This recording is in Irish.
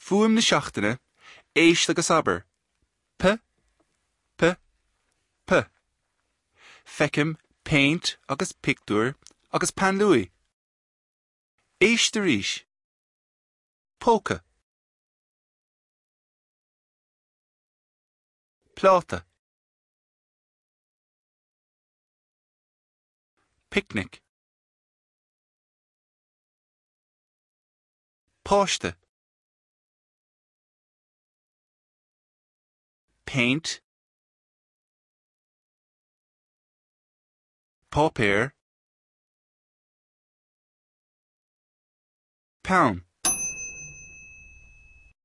Fuaim na seachtaine, éist agus abair, P, P, P. Feicim péint agus pictiúr agus peann luaidhe. Éist arís. Póca. Pláta. Picnic. Páiste. Péint. Páipéar. Peann.